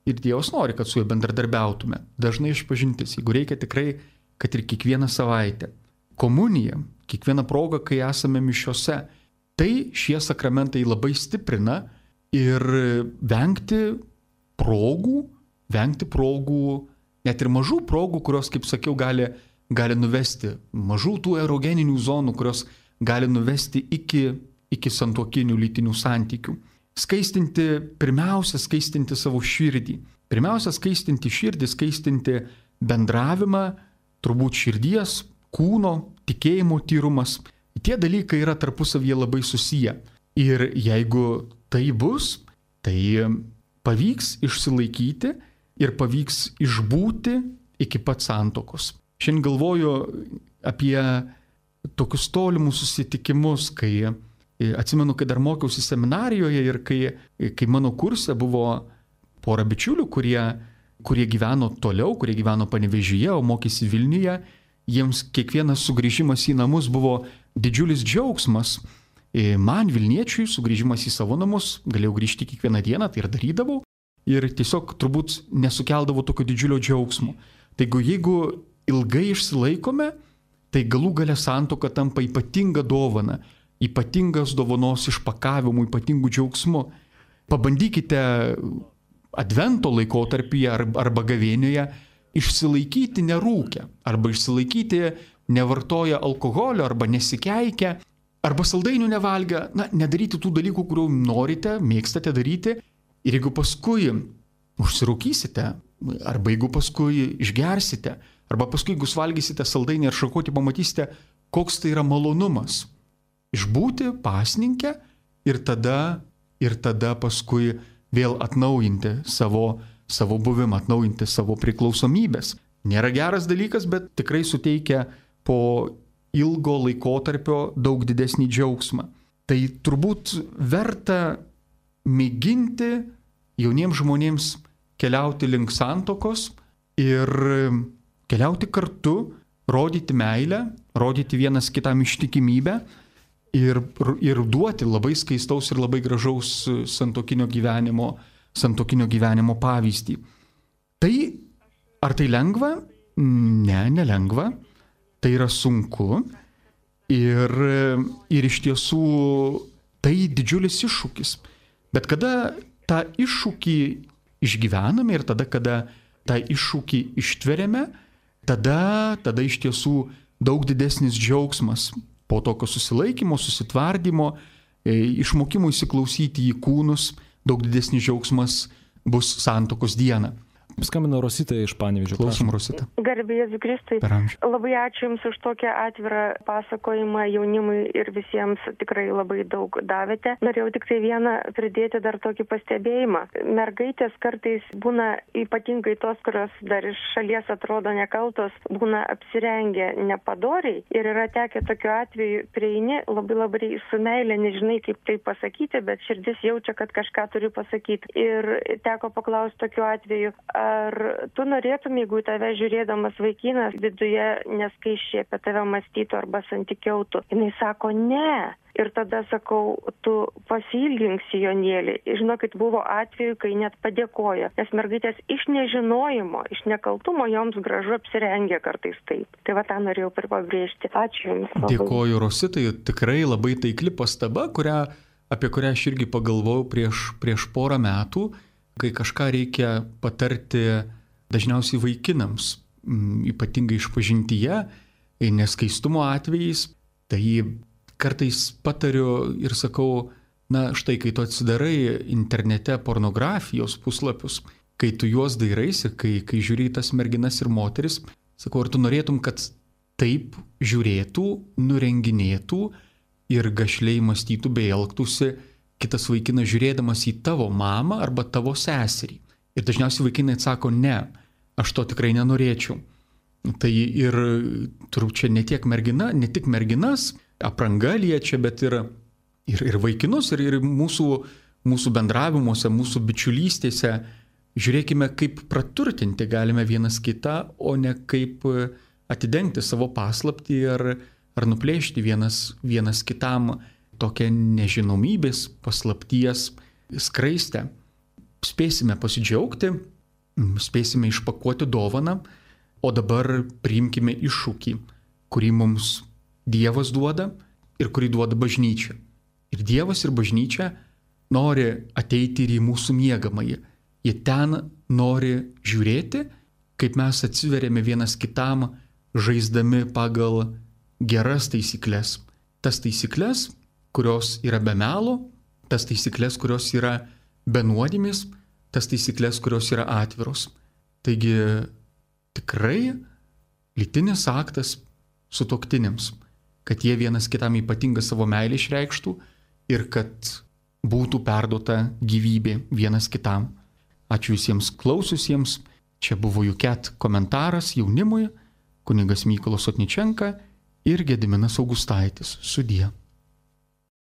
ir Dievas nori, kad su juo bendradarbiautume. Dažnai išpažintis, jeigu reikia tikrai, kad ir kiekvieną savaitę. Komunija, kiekvieną progą, kai esame mišiose, tai šie sakramentai labai stiprina. Ir vengti progų, vengti progų, net ir mažų progų, kurios, kaip sakiau, gali, gali nuvesti, mažų tų erogeninių zonų, kurios gali nuvesti iki, iki santuokinių lytinių santykių. Skaistinti, pirmiausia, skaistinti savo širdį. Pirmiausia, skaistinti širdį, skaistinti bendravimą, turbūt širdies, kūno, tikėjimo tyrumas. Tie dalykai yra tarpusavyje labai susiję. Ir jeigu tai bus, tai pavyks išsilaikyti ir pavyks išbūti iki pat santuokos. Šiandien galvoju apie tokius tolimus susitikimus, kai atsimenu, kai dar mokiausi seminarijoje ir kai, kai mano kurse buvo pora bičiulių, kurie kurie gyveno toliau, kurie gyveno Panevėžyje, o mokėsi Vilniuje, jiems kiekvienas sugrįžimas į namus buvo didžiulis džiaugsmas. Man, Vilniečiui, sugrįžimas į savo namus, galėjau grįžti kiekvieną dieną, tai ir darydavau, ir tiesiog turbūt nesukeldavo tokio didžiulio džiaugsmo. Taigi, jeigu ilgai išsilaikome, tai galų gale santuoka tampa ypatinga dovana, ypatingas dovanos išpakavimu, ypatingų džiaugsmu. Pabandykite Advento laikotarpyje arba gavėnioje išsilaikyti nerūkę, arba išsilaikyti nevartoję alkoholio, arba nesikeikę, arba saldainių nevalgę, na, nedaryti tų dalykų, kurių norite, mėgstate daryti. Ir jeigu paskui užsirūkysite, arba jeigu paskui išgersite, arba paskui jeigu valgysite saldainį ar šakotį, pamatysite, koks tai yra malonumas. Išbūti pasninkę ir tada, ir tada paskui vėl atnaujinti savo, savo buvimą, atnaujinti savo priklausomybės. Nėra geras dalykas, bet tikrai suteikia po ilgo laikotarpio daug didesnį džiaugsmą. Tai turbūt verta mėginti jauniems žmonėms keliauti link santuokos ir keliauti kartu, rodyti meilę, rodyti vienas kitam ištikimybę ir, ir duoti labai skaistaus ir labai gražaus santuokinio gyvenimo, santuokinio gyvenimo pavyzdį. Tai ar tai lengva? Ne, nelengva. Tai yra sunku ir, ir iš tiesų tai didžiulis iššūkis. Bet kada tą iššūkį išgyvename ir tada, kada tą iššūkį ištveriame, tada, tada iš tiesų daug didesnis džiaugsmas po tokio susilaikymo, susitvardymo, išmokimo įsiklausyti į kūnus, daug didesnis džiaugsmas bus santuokos dieną. Skambina Rosita iš Panevėžio. Klausom, Rosita. Garbė Jėzui Kristui. Labai ačiū Jums už tokią atvirą pasakojimą jaunimui ir visiems tikrai labai daug davėte. Norėjau tik tai vieną pridėti dar tokį pastebėjimą. Mergaitės kartais būna, ypatingai tos, kurios dar iš šalies atrodo nekaltos, būna apsirengę nepadoriai. Ir yra tekę tokiu atveju prieini labai labai su meilė, nežinai kaip tai pasakyti, bet širdis jaučia, kad kažką turiu pasakyti. Ir teko paklausti tokiu atveju, ar tu norėtum, jeigu į tave žiūrėdamas vaikinas viduje neskaičiai apie tave mąstytų arba santykiautų? Jinai sako, ne. Ir tada sakau, tu pasiilgink sijonėlį. Žinokit, buvo atveju, kai net padėkojo, nes mergaitės iš nežinojimo, iš nekaltumo joms gražu apsirengė kartais taip. Tai va tą norėjau pabrėžti. Ačiū Jums. Labai. Dėkoju, Rositai, tikrai labai taikli pastaba, kurią, apie kurią aš irgi pagalvojau prieš, prieš porą metų. Kai kažką reikia patarti dažniausiai vaikinams, ypatingai išpažintyje, neskaistumo atvejais, tai kartais patariu ir sakau, na štai, kai tu atsidarai internete pornografijos puslapius, kai tu juos dairaisi, kai, kai žiūri tas merginas ir moteris, sakau, ar tu norėtum, kad taip žiūrėtų, nurenginėtų ir gašliai mąstytų bei elgtųsi kitas vaikinas žiūrėdamas į tavo mamą arba tavo seserį. Ir dažniausiai vaikinai atsako, ne, aš to tikrai nenorėčiau. Tai ir turbūt čia ne tiek mergina, ne tik merginas, apranga liečia, bet ir, ir, ir vaikinus, ir, ir mūsų, mūsų bendravimuose, mūsų bičiulystėse. Žiūrėkime, kaip praturtinti galime vienas kitą, o ne kaip atidengti savo paslaptį ar, ar nuplėšti vienas, vienas kitam tokią nežinomybės, paslapties skraistę. Spėsime pasidžiaugti, spėsime išpakuoti dovaną, o dabar priimkime iššūkį, kurį mums Dievas duoda ir kurį duoda bažnyčia. Ir Dievas ir bažnyčia nori ateiti ir į mūsų miegamąjį. Jie ten nori žiūrėti, kaip mes atsiveriame vienas kitam, žaisdami pagal geras taisyklės. Tas taisyklės, kurios yra be melo, tas taisyklės, kurios yra be nuodėmės, tas taisyklės, kurios yra atviros. Taigi tikrai lytinis aktas sutuoktiniams, kad jie vienas kitam ypatingą savo meilę išreikštų ir kad būtų perduota gyvybė vienas kitam. Ačiū visiems klausiusiems. Čia buvo Juket komentaras jaunimui, kunigas Mykolas Sotničenka ir Gediminas Augustaitis. Sudie.